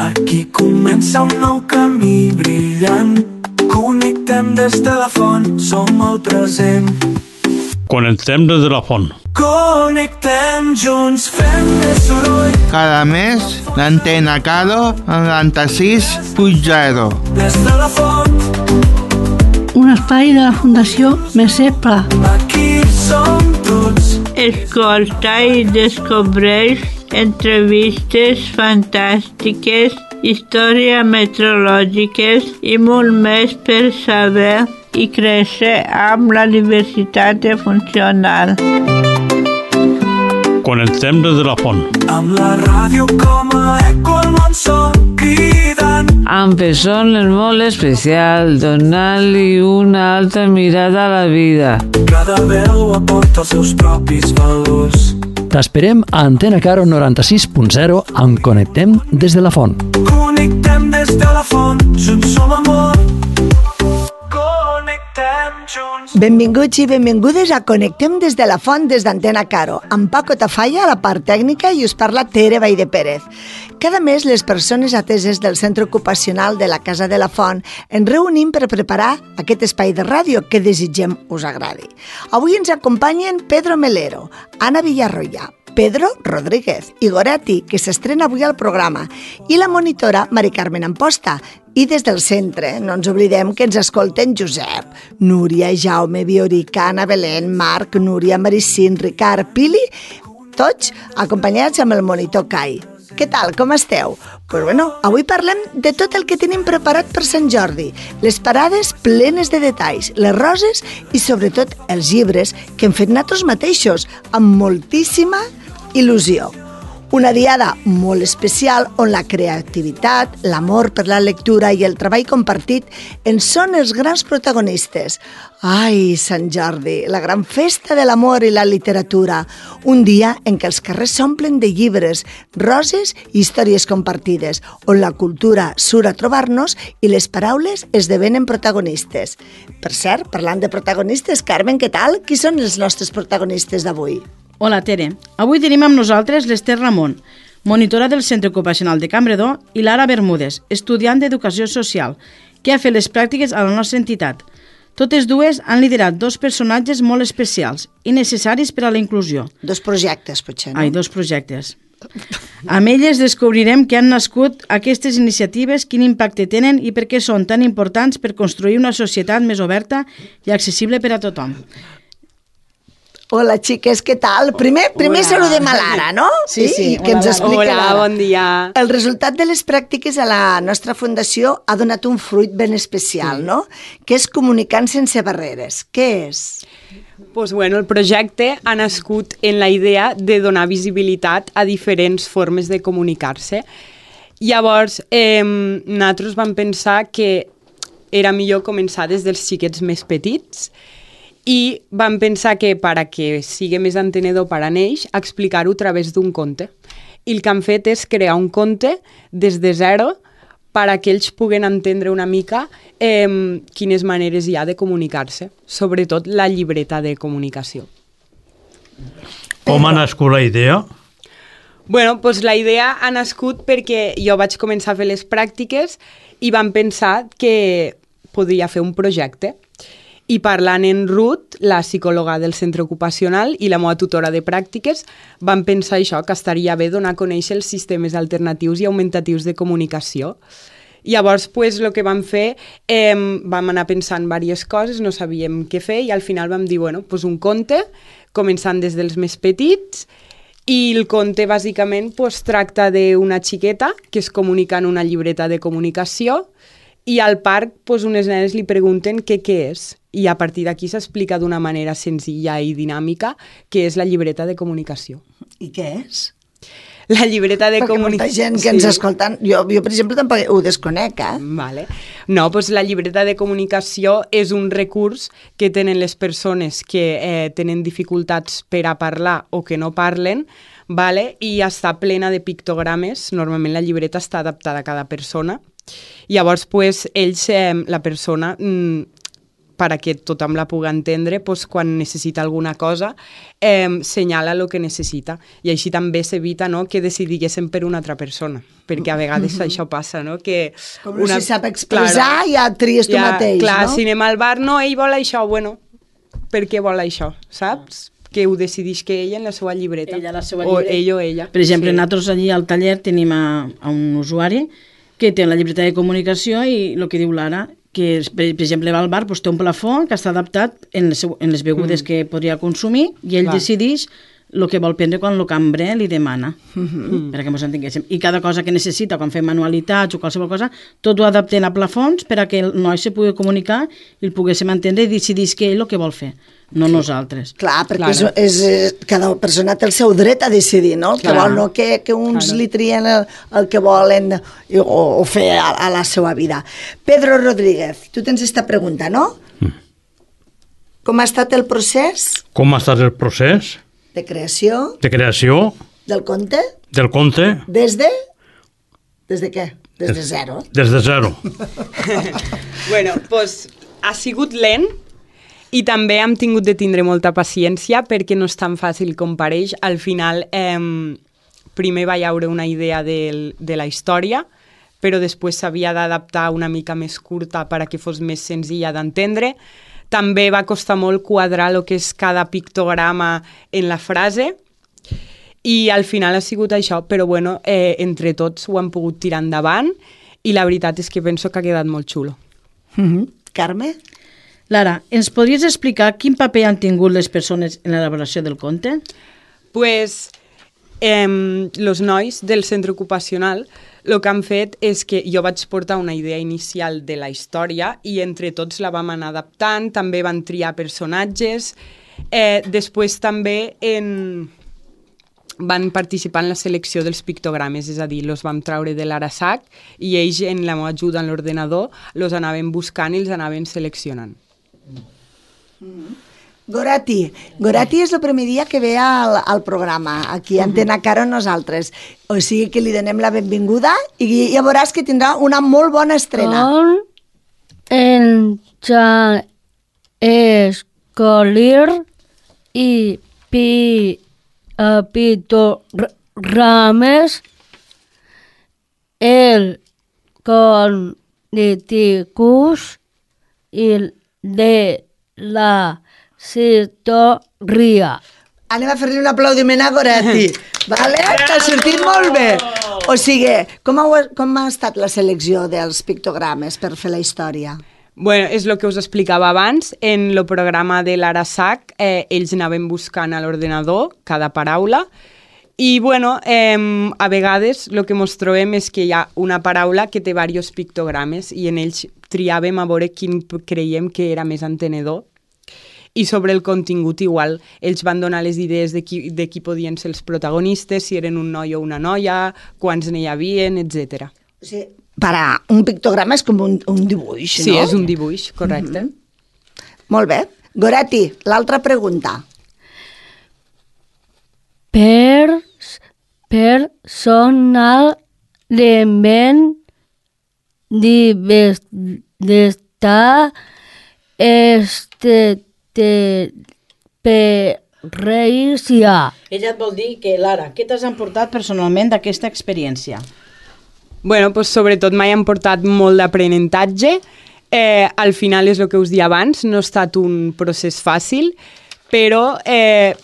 Aquí comença un nou camí brillant. Connectem des de la font, som el present. Connectem des de la font. Connectem junts, fem més soroll. Cada mes, l'Antena Caro 96.0. Des de la font, un espai de la Fundació Mercè Pla. aquí som tots. Escolta i descobreix entrevistes fantàstiques, històries meteorològiques i molt més per saber i créixer amb la diversitat funcional. Connectem des de la font. Amb la ràdio com a eco al món som cridant. Amb persones molt especials, donant-li una altra mirada a la vida. Cada veu aporta els seus propis valors. T'esperem a Antena Caro 96.0 amb Connectem des de la font. Connectem des de la font, junts som amor. Connectem junts. Benvinguts i benvingudes a Connectem des de la font des d'Antena Caro, amb Paco Tafalla a la part tècnica i us parla Tere Baide Pérez. Cada mes les persones ateses del Centre Ocupacional de la Casa de la Font ens reunim per preparar aquest espai de ràdio que desitgem us agradi. Avui ens acompanyen Pedro Melero, Anna Villarroya, Pedro Rodríguez i Goretti, que s'estrena avui al programa, i la monitora Mari Carmen Amposta. I des del centre, no ens oblidem que ens escolten Josep, Núria, Jaume, Viorica, Anna Belén, Marc, Núria, Maricín, Ricard, Pili, tots acompanyats amb el monitor Cai. Què tal, com esteu? Pues bueno, avui parlem de tot el que tenim preparat per Sant Jordi, les parades plenes de detalls, les roses i sobretot els llibres que hem fet nosaltres mateixos amb moltíssima il·lusió. Una diada molt especial on la creativitat, l'amor per la lectura i el treball compartit en són els grans protagonistes. Ai, Sant Jordi, la gran festa de l'amor i la literatura. Un dia en què els carrers s'omplen de llibres, roses i històries compartides, on la cultura surt a trobar-nos i les paraules esdevenen protagonistes. Per cert, parlant de protagonistes, Carmen, què tal? Qui són els nostres protagonistes d'avui? Hola, Tere. Avui tenim amb nosaltres l'Ester Ramon, monitora del Centre Ocupacional de Campredó, i Lara Bermúdez, estudiant d'Educació Social, que ha fet les pràctiques a la nostra entitat. Totes dues han liderat dos personatges molt especials i necessaris per a la inclusió. Dos projectes, potser, no? Dos projectes. Amb elles descobrirem que han nascut aquestes iniciatives, quin impacte tenen i per què són tan importants per construir una societat més oberta i accessible per a tothom. Hola, xiques, què tal? Primer saludem a Lara, no? Sí. Que ens explica Hola, Lara. bon dia. El resultat de les pràctiques a la nostra fundació ha donat un fruit ben especial, no? Que és Comunicant sense barreres. Què és? Pues bueno, el projecte ha nascut en la idea de donar visibilitat a diferents formes de comunicar-se. Llavors, nosaltres vam pensar que era millor començar des dels xiquets més petits i vam pensar que per a que sigui més entenedor per a ells, explicar-ho a través d'un conte. I el que han fet és crear un conte des de zero per a que ells puguen entendre una mica quines maneres hi ha de comunicar-se, sobretot la llibreta de comunicació. Com ha nascut la idea? Bueno, doncs la idea ha nascut perquè jo vaig començar a fer les pràctiques i vam pensar que podria fer un projecte. I parlant en Ruth, la psicòloga del centre ocupacional i la meva tutora de pràctiques, vam pensar això, que estaria bé donar a conèixer els sistemes alternatius i augmentatius de comunicació. Llavors, el que vam fer, vam anar pensant diverses coses, no sabíem què fer i al final vam dir, un conte, començant des dels més petits, i el conte bàsicament tracta d'una xiqueta que es comunica en una llibreta de comunicació i al parc unes nenes li pregunten què és. I a partir d'aquí s'explica d'una manera senzilla i dinàmica què és la llibreta de comunicació. I què és? La llibreta de comunicació... Perquè molta gent que ens escolten... Jo, per exemple, tampoc ho desconec, Vale. No, la llibreta de comunicació és un recurs que tenen les persones que tenen dificultats per a parlar o que no parlen, i està plena de pictogrames. Normalment la llibreta està adaptada a cada persona. Llavors, ells, la persona... perquè tothom la pugui entendre, doncs, quan necessita alguna cosa, senyala el que necessita. I així també s'evita, no?, que decidiguéssim per una altra persona, perquè a vegades això passa, no?, que... Com no s'hi sap expressar, ja tries tu mateix, clar, no? Si anem al bar, no, ell vol això, bueno, per què vol això, saps? Que ho decideix que ella en la seva llibreta. Ella, la seva o llibreta. ell o ella. Per exemple, nosaltres allí al taller tenim a un usuari que té la llibreta de comunicació i el que diu l'Ara, que per exemple va al bar, doncs té un plafó que està adaptat en les begudes que podria consumir i ell decideix el que vol prendre quan el cambrer li demana, perquè ens entenguéssim. I cada cosa que necessita, quan fem manualitats o qualsevol cosa, tot ho adaptem a plafons per a que el noi se pugui comunicar i el poguéssim entendre i decidís que ell el que vol fer, no nosaltres. Clar, perquè cada persona té el seu dret a decidir, no? El que vol, no que uns li trien el que volen o fer a la seva vida. Pedro Rodríguez, tu tens esta pregunta, no? Com ha estat el procés? Com ha estat el procés? De creació? De creació? Del conte? Del conte? Des de què? Des de zero. Des de zero. Bueno, doncs ha sigut lent i també hem tingut de tindre molta paciència perquè no és tan fàcil com pareix. Al final, primer va haure una idea de la història, però després s'havia d'adaptar una mica més curta perquè fos més senzilla d'entendre. També va costar molt quadrar el que és cada pictograma en la frase i al final ha sigut això, però bueno, entre tots ho hem pogut tirar endavant i la veritat és que penso que ha quedat molt xulo. Carme? Lara, ens podries explicar quin paper han tingut les persones en l'elaboració del conte? Pues, els nois del centre ocupacional el que han fet és que jo vaig portar una idea inicial de la història i entre tots la vam anar adaptant, també van triar personatges, després també van participar en la selecció dels pictogrames, és a dir, els vam treure de l'Arasac i ells, en la meva ajuda en l'ordenador, els anaven buscant i els anaven seleccionant. Gorati és el primer dia que ve al programa, aquí a Antena Caro nosaltres. O sigui que li donem la benvinguda i ja veuràs que tindrà una molt bona estrena. En escolir i pictogrames el cogniticus i de la història. Anem a fer-li un aplaudiment a Gorati, vale? Que ha sortit molt bé. O sigui, com ha estat la selecció dels pictogrames per fer la història? Bueno, és el que us explicava abans. En el programa de l'Arasac, ells anaven buscant a l'ordenador cada paraula i, bueno, a vegades el que ens trobem és que hi ha una paraula que té diversos pictogrames i en ells triàvem a veure quin creiem que era més entenedor. I sobre el contingut igual, ells van donar les idees de qui podien ser els protagonistes, si eren un noi o una noia, quants n'hi havien, etc. O sigui, un pictograma és com un dibuix, no? Sí, és un dibuix, correcte. Molt bé. Gorati, l'altra pregunta. Personalment d'estar experiencia. Ella et vol dir que, Lara, què t'has emportat personalment d'aquesta experiència? Bueno, pues sobretot m'he emportat molt d'aprenentatge. Al final és el que us dia abans, no ha estat un procés fàcil, però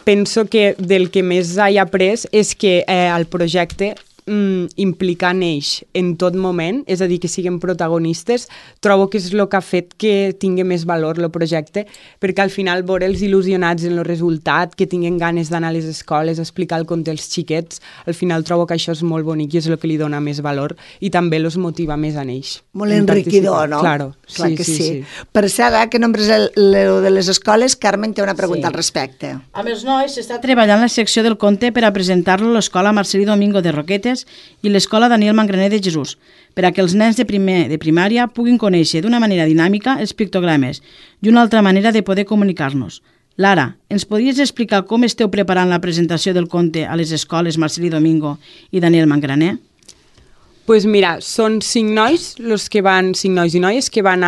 penso que del que més he après és que el projecte implicar en ells en tot moment, és a dir, que siguin protagonistes, trobo que és el que ha fet que tingui més valor el projecte, perquè al final veure'ls il·lusionats en el resultat, que tinguin ganes d'anar a les escoles, explicar el conte als xiquets, al final trobo que això és molt bonic i és el que li dona més valor i també els motiva més en ells. Molt enriquidor, no? Claro, clar que sí. Per cert, que nombres el de les escoles, Carmen té una pregunta al respecte. Amb els nois s'està treballant la secció del conte per a presentar-lo a l'escola Marcelí Domingo de Roquetes i l'escola Daniel Mangraner de Jesús, per a que els nens de primària puguin conèixer d'una manera dinàmica els pictogrames i una altra manera de poder comunicar-nos. Lara, ens podries explicar com esteu preparant la presentació del conte a les escoles Marcelí Domingo i Daniel Mangraner? Pues mira, són 5 nois i noies que van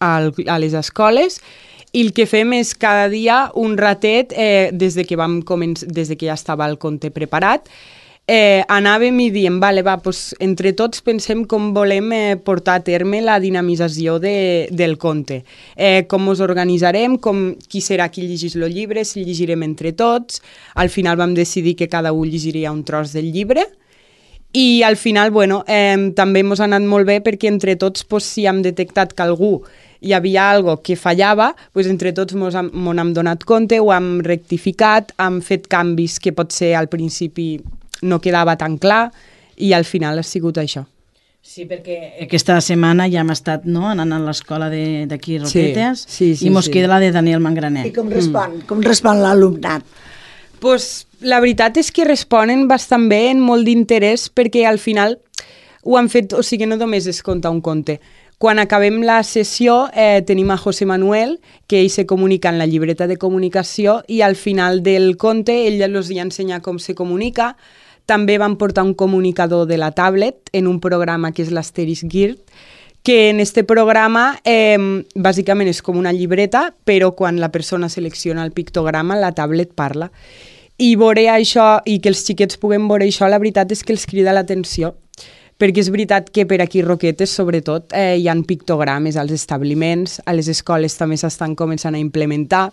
a les escoles, i el que fem és cada dia un ratet, des que ja estava el conte preparat, anàvem i diem, vale, doncs, entre tots pensem com volem portar a terme la dinamització del conte. Com ens organitzarem, qui serà qui llegís el llibre, si llegirem entre tots. Al final vam decidir que cada un llegiria un tros del llibre i al final, també ens ha anat molt bé perquè entre tots, si hem detectat que algú hi havia algo que fallava, entre tots m'ho hem donat compte, ho hem rectificat, hem fet canvis que potser al principi no quedava tan clar i al final ha sigut això. Sí, perquè aquesta setmana ja hem estat anant a l'escola d'aquí Roquetes i mos queda la de Daniel Mangranet. I com respon l'alumnat? La veritat és que responen bastant bé, amb molt d'interès, perquè al final ho han fet, o sigui, no només es conta un conte. Quan acabem la sessió tenim a José Manuel, que ell se comunica en la llibreta de comunicació i al final del conte ell els hi ensenya com se comunica. També van portar un comunicador de la tablet en un programa que és l'Asteris Guild, que en este programa bàsicament és com una llibreta, però quan la persona selecciona el pictograma, la tablet parla. I veure això, i que els xiquets puguen veure això, la veritat és que els crida l'atenció, perquè és veritat que per aquí Roquetes, sobretot, hi ha pictogrames als establiments, a les escoles també s'estan començant a implementar,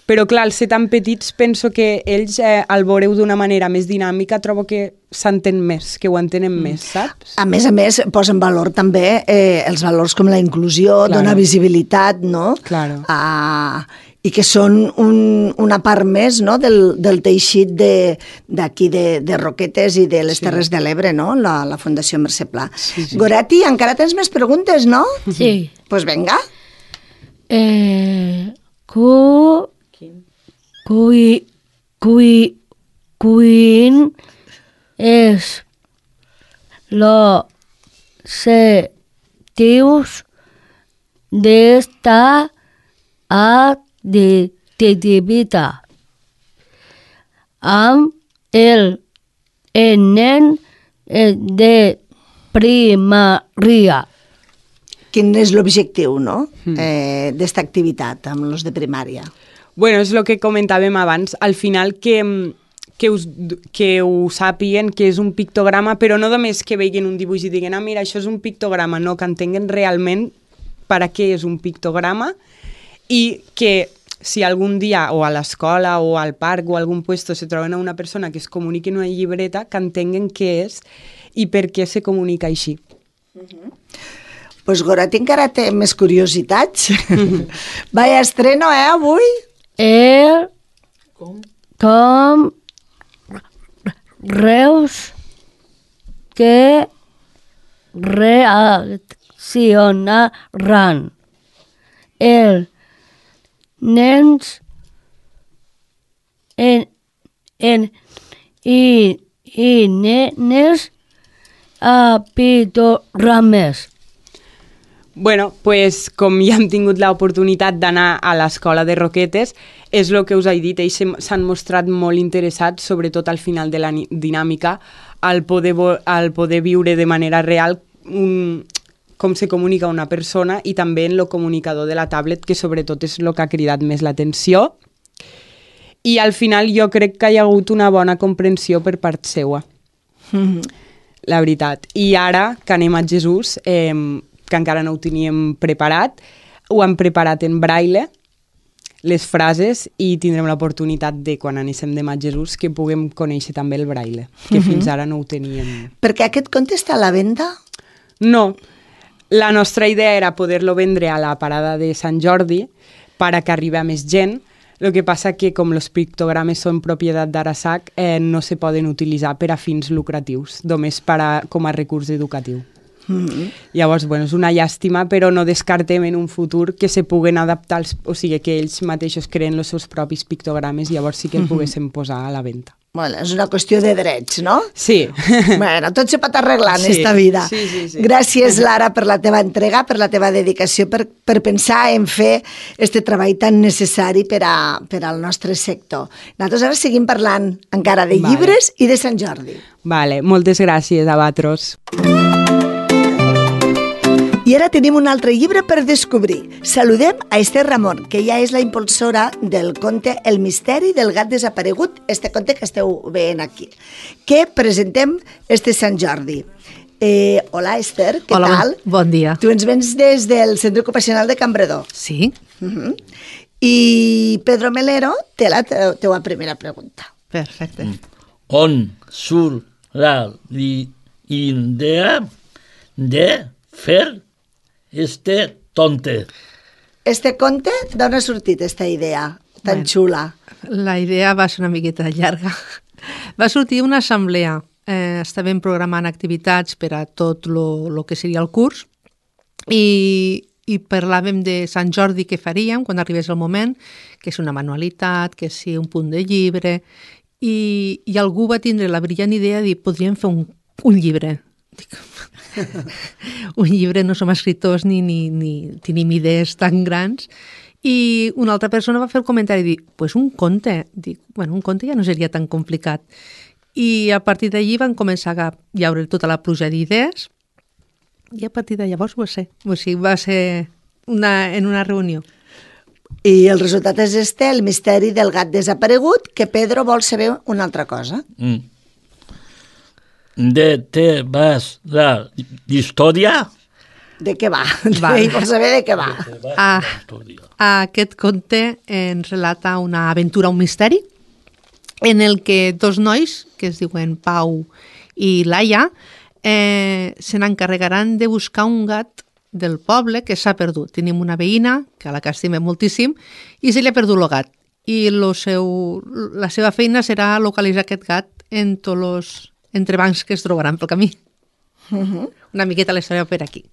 però clar, al ser tan petits penso que ells, al veure-ho d'una manera més dinàmica, trobo que s'entén més, que ho entenen més, saps? A més, posa en valor també els valors com la inclusió, dona visibilitat, no? Claro. I que són una part més del teixit d'aquí de Roquetes i de les Terres de l'Ebre, no? La Fundació Mercè Pla. Goretti, encara tens més preguntes, no? Sí. Doncs vinga. Quin és l'objectius d'esta activitat amb el nen de primària. Quin és l'objectiu, no?, d'esta activitat amb els de primària? Bueno, és el que comentàvem abans, al final que ho sàpiguen que és un pictograma, però no només que vegin un dibuix i diguen, mira, això és un pictograma, no, que entenguen realment per a què és un pictograma i que si algun dia o a l'escola o al parc o a algun puesto se troben a una persona que es comuniqui en una llibreta, que entenguen què és i per què se comunica així. Pues Goretti encara té més curiositats. Vaya estreno, avui? Com Reus que reaccionaran els nens i nenes a pictogrames. Bueno, pues, com ja hem tingut l'oportunitat d'anar a l'escola de Roquetes, és el que us he dit, ells s'han mostrat molt interessats, sobretot al final de la dinàmica, al poder viure de manera real com se comunica una persona i també en el comunicador de la tablet, que sobretot és el que ha cridat més l'atenció. I al final jo crec que hi ha hagut una bona comprensió per part seua, la veritat. I ara que anem a Jesús, que encara no ho teníem preparat, ho hem preparat en braille, les frases, i tindrem l'oportunitat de, quan anéssim demà a Jesús, que puguem conèixer també el braille, que fins ara no ho teníem. Perquè aquest conte està a la venda? No. La nostra idea era poder-lo vendre a la parada de Sant Jordi per a que arribi a més gent. El que passa que, com els pictogrames són propietat d'Arasac, no se poden utilitzar per a fins lucratius, només com a recurs educatiu. Llavors, bueno, és una llàstima, però no descartem en un futur que se puguen adaptar, o sigui, que ells mateixos creen els seus propis pictogrames, llavors sí que el poguéssim posar a la venda. Bueno, és una qüestió de drets, no? Sí. Bueno, tot se pot arreglar en esta vida. Sí. Gràcies, Lara, per la teva entrega, per la teva dedicació, per pensar en fer este treball tan necessari per al nostre sector. Nosaltres ara seguim parlant encara de llibres i de Sant Jordi. Vale, moltes gràcies a vosaltres. I ara tenim un altre llibre per descobrir. Saludem a Esther Ramon, que ja és la impulsora del conte El misteri del gat desaparegut, este conte que esteu veient aquí, que presentem este Sant Jordi. Hola, Esther, què tal? Bon dia. Tu ens vens des del Centre Ocupacional de Campredó. Sí. I Pedro Melero té la teua primera pregunta. Perfecte. On surt la idea de fer este conte? Este conte, d'on ha sortit esta idea tan xula? La idea va ser una miqueta llarga. Va sortir una assemblea. Estàvem programant activitats per a tot el que seria el curs i parlàvem de Sant Jordi que faríem quan arribés el moment, que és una manualitat, que és un punt de llibre, i algú va tindre la brillant idea de dir, podríem fer un llibre. Dic, un llibre, no som escriptors ni tenim idees tan grans. I una altra persona va fer el comentari i dir, pues un conte. Dic, bueno, un conte ja no seria tan complicat. I a partir d'allí van començar a llaure tota la pluja d'idees i a partir de llavors va ser. O sigui, va ser en una reunió. I el resultat és el misteri del gat desaparegut, que Pedro vol saber una altra cosa. De què vas la història? De què va? Ell vol saber de què va. Aquest conte ens relata una aventura, un misteri, en el que dos nois, que es diuen Pau i Laia, se n'encarregaran de buscar un gat del poble que s'ha perdut. Tenim una veïna, que a la que estimem moltíssim, i se li ha perdut el gat. I la seva feina serà localitzar aquest gat en tots els entrebancs que es trobaran pel camí. Una miqueta la història per aquí.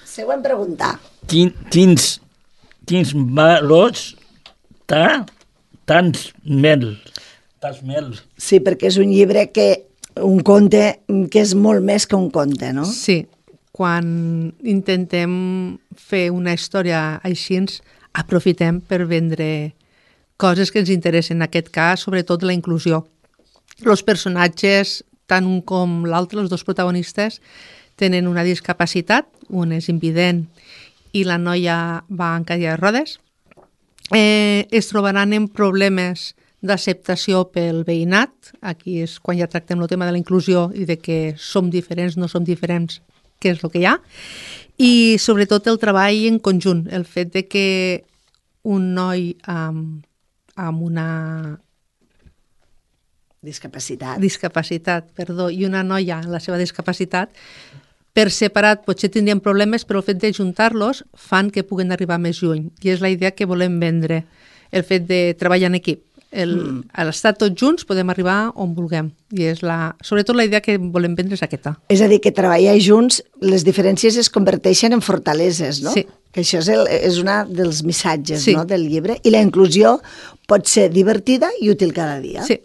Següent pregunta. Quins valors tants mels? Sí, perquè és un llibre un conte que és molt més que un conte, no? Sí, quan intentem fer una història així, aprofitem per vendre coses que ens interessen, en aquest cas, sobretot la inclusió. Els personatges, tant un com l'altre, els dos protagonistes, tenen una discapacitat, un és invident i la noia va en cadira de rodes. Es trobaran en problemes d'acceptació pel veïnat. Aquí és quan ja tractem el tema de la inclusió i de que som diferents, no som diferents, què és el que hi ha. I sobretot el treball en conjunt, el fet de que un noi amb una discapacitat, i una noia amb la seva discapacitat, per separat potser tindrien problemes, però el fet de juntar-los fan que puguen arribar més lluny. I és la idea que volem vendre, el fet de treballar en equip. A l'estar tots junts podem arribar on vulguem. I és sobretot la idea que volem vendre és aquesta. És a dir, que treballar junts, les diferències es converteixen en fortaleses, no? Sí. Que això és un dels missatges del llibre. I la inclusió pot ser divertida i útil cada dia. Sí.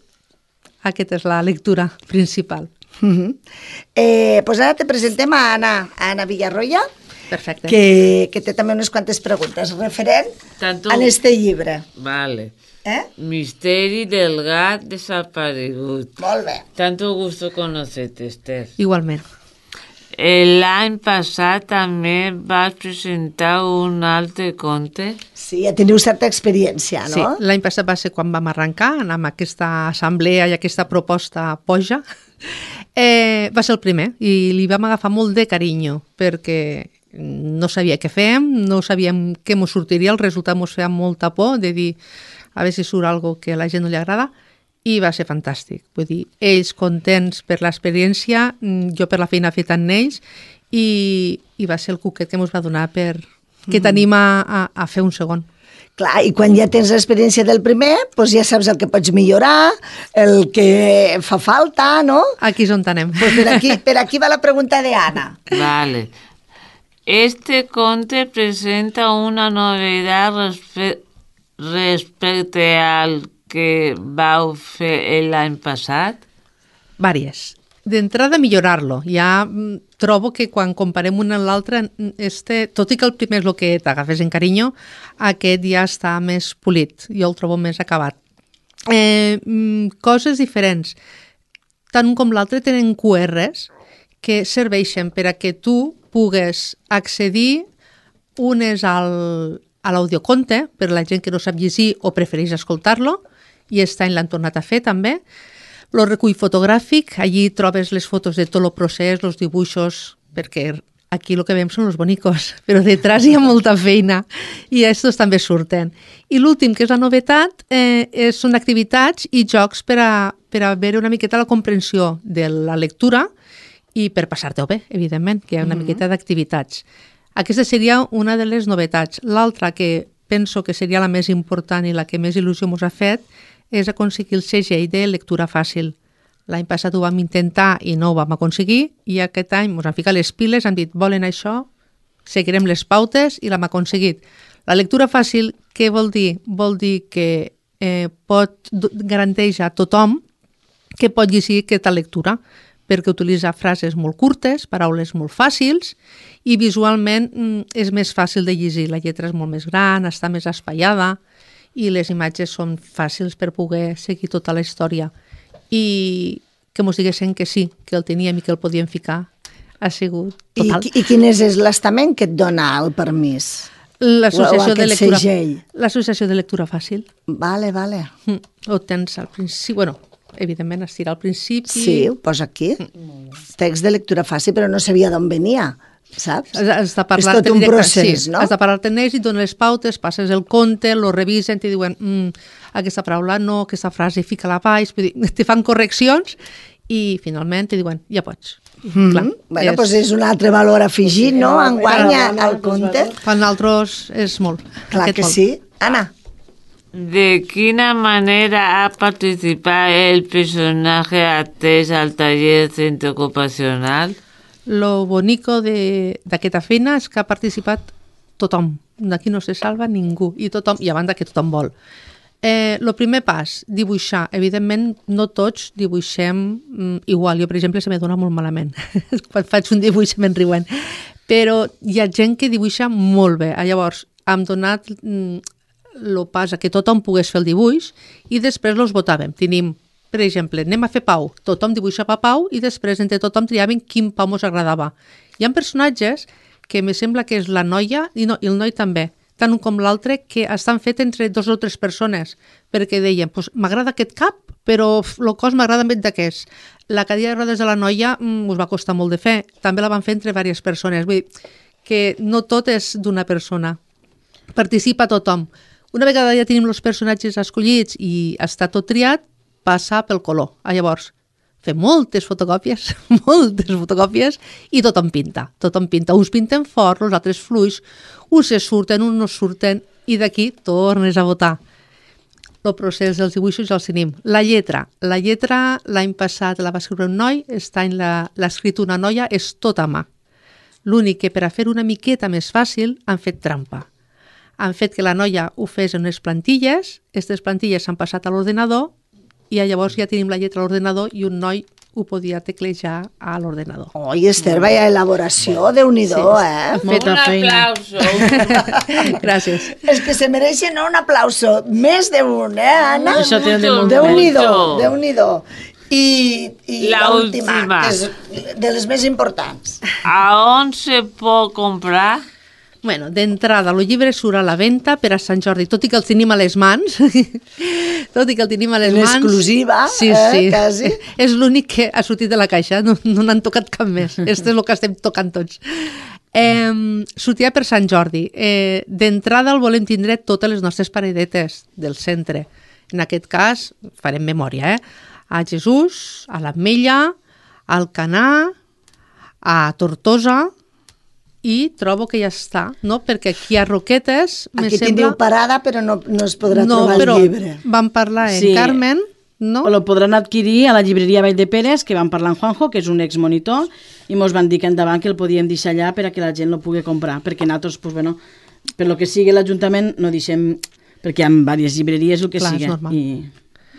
Aquesta és la lectura principal. Pues ara te presentem a Anna Villarroya, perfecte, que té també unes quantes preguntes referent a este llibre. Vale. Misteri del gat desaparegut. Molt bé. Tanto gusto conocerte, Esther. Igualment. L'any passat també vas presentar un altre conte. Sí, ja teniu certa experiència, no? Sí, l'any passat va ser quan vam arrencar amb aquesta assemblea i aquesta proposta poja. Va ser el primer i li vam agafar molt de carinyo perquè no sabia què fèiem, no sabíem què mos sortiria, el resultat mos feia molta por de dir a veure si surt algo que a la gent no li agrada, i va ser fantàstic. Vull dir, ells contents per l'experiència, jo per la feina feta amb ells, i va ser el cuquet que ens va donar que t'anima a fer un segon. Clar, i quan ja tens l'experiència del primer, doncs ja saps el que pots millorar, el que fa falta, no? Aquí és on anem. Pues per aquí va la pregunta de Ana. Vale. Este conte presenta una novedad respecte al que vau fer l'any passat? Vàries. D'entrada, millorar-lo. Ja trobo que quan comparem un amb l'altre, tot i que el primer és el que t'agafes en carinyo, aquest ja està més polit. Jo el trobo més acabat. Coses diferents. Tant un com l'altre tenen QRs que serveixen per a que tu pugues accedir. Un és a l'audioconte, per la gent que no sap llegir o prefereix escoltar-lo, i està l'han tornat a fer també. El recull fotogràfic, allí trobes les fotos de tot el procés, els dibuixos, perquè aquí el que veiem són els bonicos, però detrás hi ha molta feina i estos també surten. I l'últim, que és la novetat, són activitats i jocs per a veure una miqueta la comprensió de la lectura i per passar-te-ho bé, evidentment, que hi ha una miqueta d'activitats. Aquesta seria una de les novetats. L'altra, que penso que seria la més important i la que més il·lusió ens ha fet, és aconseguir el segell de lectura fàcil. L'any passat ho vam intentar i no ho vam aconseguir, i aquest any ens han ficat les piles, han dit, volen això, seguirem les pautes i l'hem aconseguit. La lectura fàcil, què vol dir? Vol dir que garanteix a tothom que pot llegir aquesta lectura, perquè utilitza frases molt curtes, paraules molt fàcils, i visualment és més fàcil de llegir. La lletra és molt més gran, està més espaiada, i les imatges són fàcils per poder seguir tota la història. I que mos diguessin que sí, que el teníem i que el podíem ficar, ha sigut total. I quin és l'estament que et dona el permís? L'associació de lectura fàcil. Vale. Ho tens al principi, bueno, evidentment es tira al principi. Sí, ho posa aquí. Text de lectura fàcil, però no sabia d'on venia, saps? És tot un procés, no? Has de parlar-te amb ells i dones les pautes, passes el conte, lo revisen, te diuen aquesta paraula no, aquesta frase fica-la baix, te fan correccions i finalment te diuen ja pots. Bueno, doncs és un altre valor afegit, no? Enguanya al conte. Per nosaltres és molt. Clar que sí. Anna. ¿De quina manera ha participado el personaje atès al taller centre ocupacional? Lo bonico d'aquesta feina és que ha participat tothom. D'aquí no se salva ningú. I a banda que tothom vol. El primer pas, dibuixar. Evidentment, no tots dibuixem igual. Jo, per exemple, se me dona molt malament. Quan faig un dibuix me'n riuen. Però hi ha gent que dibuixa molt bé. Llavors, hem donat el pas a que tothom pogués fer el dibuix i després els votàvem. Tenim, per exemple, anem a fer Pau. Tothom dibuixava Pau i després entre tothom triàvem quin Pau ens agradava. Hi ha personatges que me sembla que és la noia i el noi també, tant un com l'altre, que estan fet entre 2 o 3 persones, perquè deien, m'agrada aquest cap, però el cos m'agrada més d'aquest. La cadira de rodes de la noia us va costar molt de fer, també la van fer entre diverses persones, vull dir que no tot és d'una persona, participa tothom. Una vegada ja tenim els personatges escollits i està tot triat, passa pel color. Llavors, fem moltes fotocòpies i tothom pinta. Uns pinten fort, els altres fluix, uns se surten, uns no surten i d'aquí tornes a votar. El procés dels dibuixos ja els tenim. La lletra l'any passat la va escriure un noi, aquest any l'ha escrit una noia, és tot a mà. L'únic que per a fer una miqueta més fàcil han fet trampa. Han fet que la noia ho fes en unes plantilles, aquestes plantilles s'han passat a l'ordenador i llavors ja tenim la lletra a l'ordenador i un noi ho podia teclejar a l'ordenador. Oi, Esther, vaya elaboració, Déu-n'hi-do, Un aplauso. Gràcies. És que se mereixen un aplauso, més d'un, Anna? Això té Déu-n'hi-do. I l'última, que és de les més importants. ¿A on se pot comprar? Bueno, d'entrada, el llibre surt a la venda per a Sant Jordi, tot i que el tenim a les mans. L'exclusiva, sí. Quasi. És l'únic que ha sortit de la caixa, no n'han tocat cap més. Este és el que estem tocant tots. Sortirà per Sant Jordi. D'entrada el volem tindre totes les nostres paradetes del centre. En aquest cas, farem memòria, a Jesús, a l'Ametlla, a Alcanar, a Tortosa, i trobo que ja està, no? Perquè aquí a Roquetes... Aquí teniu parada, però no es podrà trobar el llibre. Vam parlar en Carmen, no? O lo podran adquirir a la llibreria Vall de Pérez, que van parlar amb Juanjo, que és un exmonitor, i mos van dir que endavant que el podíem deixar allà per a que la gent lo pugui comprar, perquè nosaltres, pues, bueno, per lo que sigui l'Ajuntament, no deixem, perquè hi ha diverses llibreries, el que sigui, i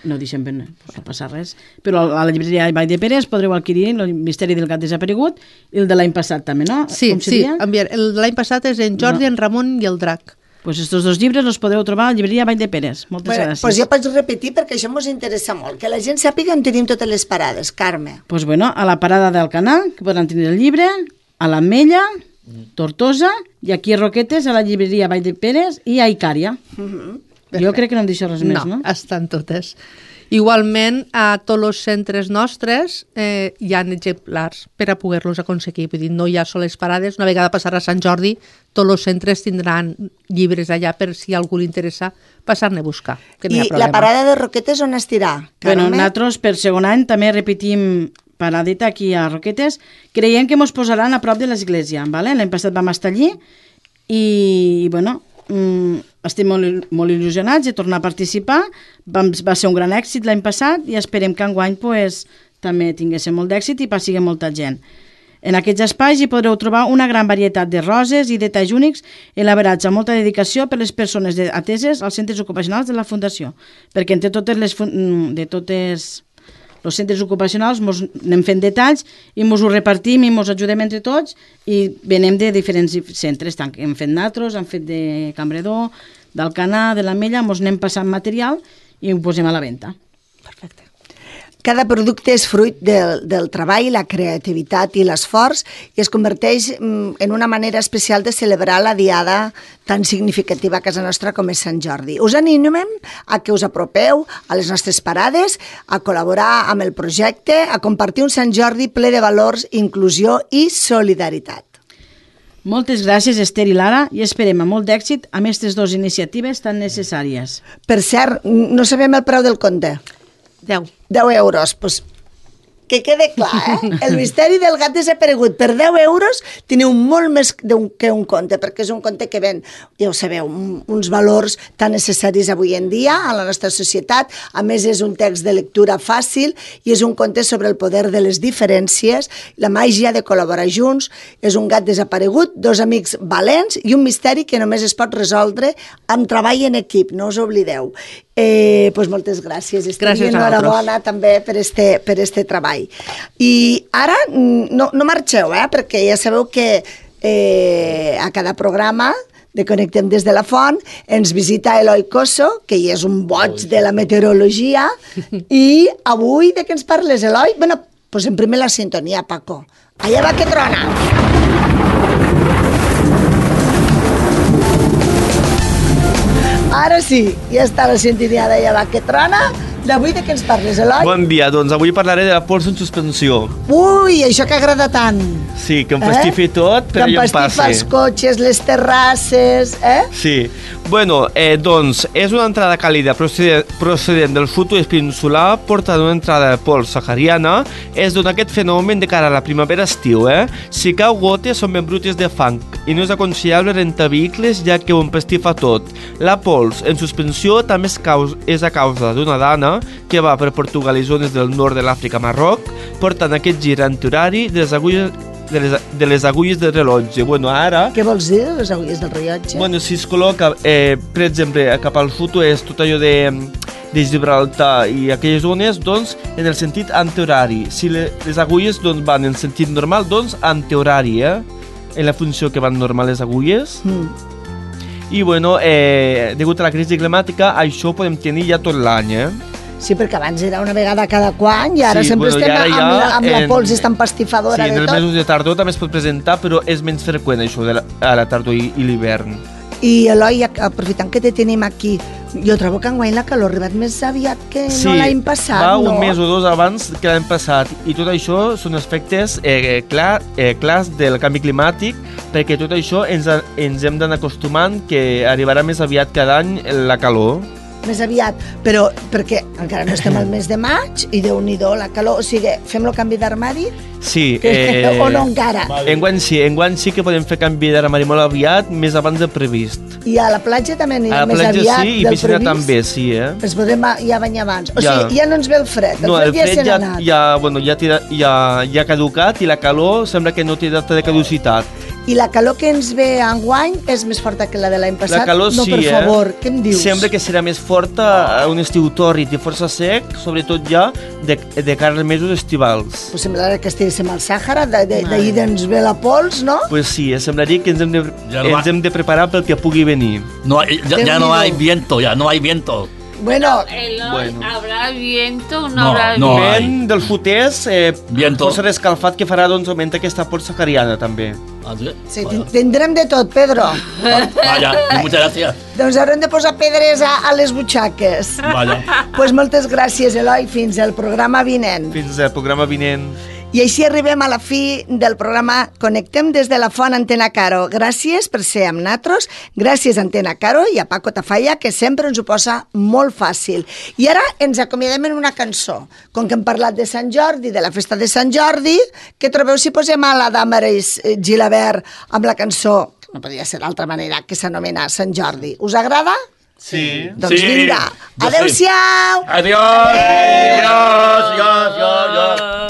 no deixem, no passa res. Però a la llibreria Vall de Pérez podreu adquirir el Misteri del gat desaparegut i el de l'any passat també, no? Sí, el de l'any passat és en Jordi, en Ramon i el Drac. Pues estos 2 llibres els podreu trobar a la llibreria Vall de Pérez. Moltes gràcies. Pues ja pots repetir perquè això ens interessa molt, que la gent sàpiga on tenim totes les parades, Carme. Pues bueno, a la parada del Canal, que podran tenir el llibre, a l'Ametlla, Tortosa, i aquí a Roquetes, a la llibreria Vall de Peres i a Icària. Jo crec que no em deixo res més, no? No, estan totes. Igualment, a tots els centres nostres hi ha exemplars per a poder-los aconseguir. Vull dir, no hi ha soles parades. Una vegada passarà Sant Jordi, tots els centres tindran llibres allà per si a algú li interessa passar-ne a buscar. I la parada de Roquetes on estirà? Bueno, nosaltres per segon any també repetim paradeta aquí a Roquetes. Creiem que ens posaran a prop de l'església. L'any passat vam estar allí i, bueno, estem molt il·lusionats de tornar a participar. Va ser un gran èxit l'any passat i esperem que enguany també tinguéssim molt d'èxit i passi molta gent. En aquests espais hi podreu trobar una gran varietat de roses i detalls únics elaborats amb molta dedicació per les persones ateses als centres ocupacionals de la Fundació, perquè entre totes els centres ocupacionals ens anem fent detalls i ens ho repartim i ens ajudem entre tots i venem de diferents centres, tant que hem fet nosaltres, hem fet de Campredó, d'Alcanar, de l'Ametlla, ens anem passant material i ho posem a la venda. Perfecte. Cada producte és fruit del treball, la creativitat i l'esforç i es converteix en una manera especial de celebrar la diada tan significativa a casa nostra com és Sant Jordi. Us animem a que us apropeu a les nostres parades, a col·laborar amb el projecte, a compartir un Sant Jordi ple de valors, inclusió i solidaritat. Moltes gràcies, Esther i Lara, i esperem amb molt d'èxit amb aquestes dues iniciatives tan necessàries. Per cert, no sabem el preu del conte. 10 euros, doncs que quede clar, el misteri del gat desaparegut. Per 10 euros teniu molt més que un conte, perquè és un conte que ven, ja ho sabeu, uns valors tan necessaris avui en dia a la nostra societat. A més, és un text de lectura fàcil i és un conte sobre el poder de les diferències, la màgia de col·laborar junts. És un gat desaparegut, dos amics valents i un misteri que només es pot resoldre amb treball en equip, no us oblideu. Pues moltes gràcies, Esther, i enhorabona també per este treball. I ara no marxeu, perquè ja sabeu que a cada programa de Connectem des de la Font ens visita Eloi Cosso, que ja és un boig de la meteorologia, i avui de què ens parles, Eloi? Bueno, posem primer la sintonia, Paco. Allà va que trona! Ara sí, ja està la sintonia d'Allà va que trona. D'avui de què ens parles, Eloi? Bon dia, doncs avui parlaré de la pols en suspensió. Ui, això que agrada tant. Sí, que empastifi tot, però ja em passi. Que empastifa els cotxes, les terrasses, Sí. Bueno, doncs, és una entrada càlida procedent del sud-oest peninsular, portant una entrada de pols sahariana. Es dona aquest fenomen de cara a la primavera-estiu, Si cau gotes, són ben brutes de fang i no és aconsellable rentar vehicles, ja que ho empastifa tot. La pols en suspensió també és a causa d'una dana que va per Portugal i zones del nord de l'Àfrica, Marroc, portant aquest gir antihorari de les agulles del rellotge. Bueno, ara... Què vols dir, les agulles del rellotge? Bueno, si es col·loca, per exemple, cap al sud-oest, tot allò de Gibraltar i aquelles zones, doncs, en el sentit antihorari. Si les agulles van en sentit normal, doncs, antihorari, en la funció que van normal les agulles. I, bueno, degut a la crisi climàtica, això ho podem tenir ja tot l'any, Sí, perquè abans era una vegada cada quan i ara sempre estem amb la pols empastifadora de tot. Sí, en els mesos de tardor també es pot presentar, però és menys freqüent això a la tardor i l'hivern. I Eloi, aprofitant que te tenim aquí, jo trobo que enguany la calor ha arribat més aviat que no l'any passat, no? Sí, va un mes o dos abans que l'any passat, i tot això són aspectes clars del canvi climàtic, perquè tot això ens hem d'anar acostumant que arribarà més aviat cada any la calor. Més aviat, però perquè encara no estem al mes de maig i Déu-n'hi-do la calor, o sigui, fem el canvi d'armari? Sí. O no encara? Enguany sí que podem fer canvi d'armari molt aviat, més abans del previst. I a la platja també anirà més aviat del previst? A la platja sí, i piscina també, sí, Ens podem ja banyar abans. O sigui, ja no ens ve el fred, el fred ja se n'ha anat. Ja ha caducat i la calor sembla que no té data de caducitat. I la calor que ens ve enguany és més forta que la de l'any passat? La calor no, sí, per favor, què em dius? Sembla que serà més forta a un estiu tòrrid i força sec, sobretot ja de cara als mesos estivals. Pues semblarà que estiguéssim al Sàhara, d'ahir ens ve la pols, no? Pues sí, semblaria que ens hem de preparar pel que pugui venir. Ya no hay viento, ya no hay viento. Bueno, ¿habrá viento o no, No, habrá no. viento? Vent del sud-est, Viento. força escalfat que farà doncs augmenta aquesta pols sahariana també. sí, tindrem de tot, Pedro. Vaya, muchas gracias. Doncs haurem de posar pedres a les butxaques. Vaya. Pues moltes gràcies, Eloi, fins al programa vinent. Fins al programa vinent. I així arribem a la fi del programa Connectem des de la Font Antena Caro. Gràcies per ser amb natros, gràcies a Antena Caro i a Paco Tafalla, que sempre ens ho posa molt fàcil. I ara ens acomiadem en una cançó. Com que hem parlat de Sant Jordi, de la festa de Sant Jordi, què trobeu si posem a la Damaris Gilabert amb la cançó, no podria ser d'altra manera, que s'anomena Sant Jordi. Us agrada? Sí. Doncs Sí. vinga. Jo Adéu-siau! Adiós! Adiós! Adiós! Adiós!